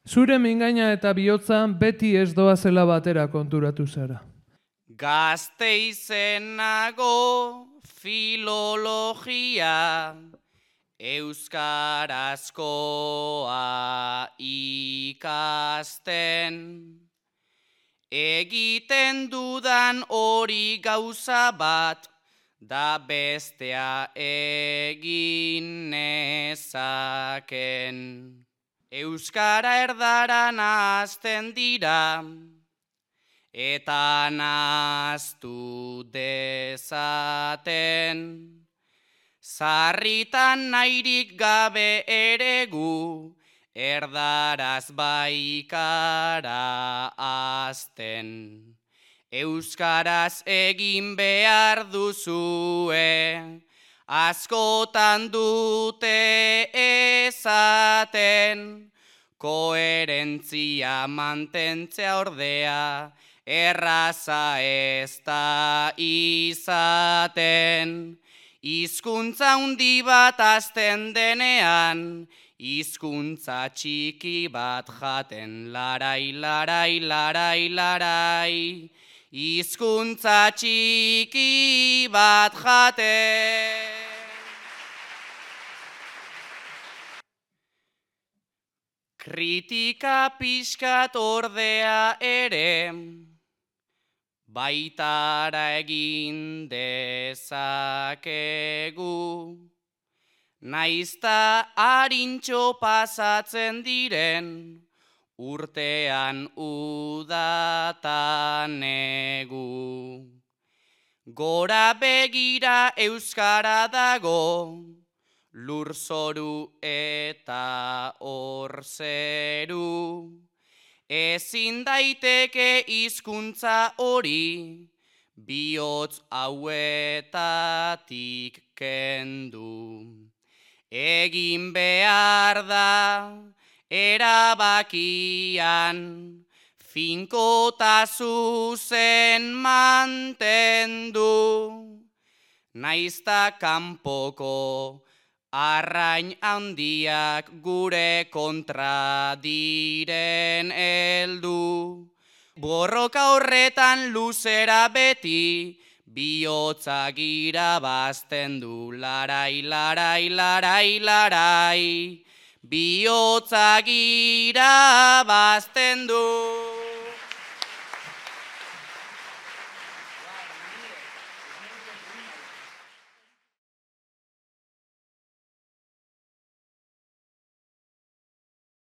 Zure mingaina eta bihotzan beti ez doazela batera konturatu zara. Gasteizen nago filologia, euskarazkoa ikasten. Egiten dudan hori gauza bat, da bestea egin nezaken. Euskara erdara nahazten dira, eta nahaztu dezaten. Sarritan nahirik gabe ere gu, erdaraz baikara azten. Euskaraz egin behar duzue, askotan dute ezaten. Koherentzia mantentzea ordea, erraza ez da izaten. Hizkuntza handi bat azten denean, hizkuntza txiki bat jaten. Larai, larai, larai, larai, hizkuntza txiki bat jaten. Kritika pixkat ordea ere, baitara egin dezakegu. Naizta harintxo pasatzen diren, urtean udatan negu. Gora begira euskara dago, lurzoru eta orzeru. Ezin daiteke hizkuntza hori, bihotz hauetatik kendu. Egin behar da erabakian, finkota zuzen mantendu. Naizta kanpoko arrain handiak gure kontra diren heldu. Borroka horretan luzera beti, bihotzak irabazten du. Larai, larai, larai, larai, bihotzak irabazten du.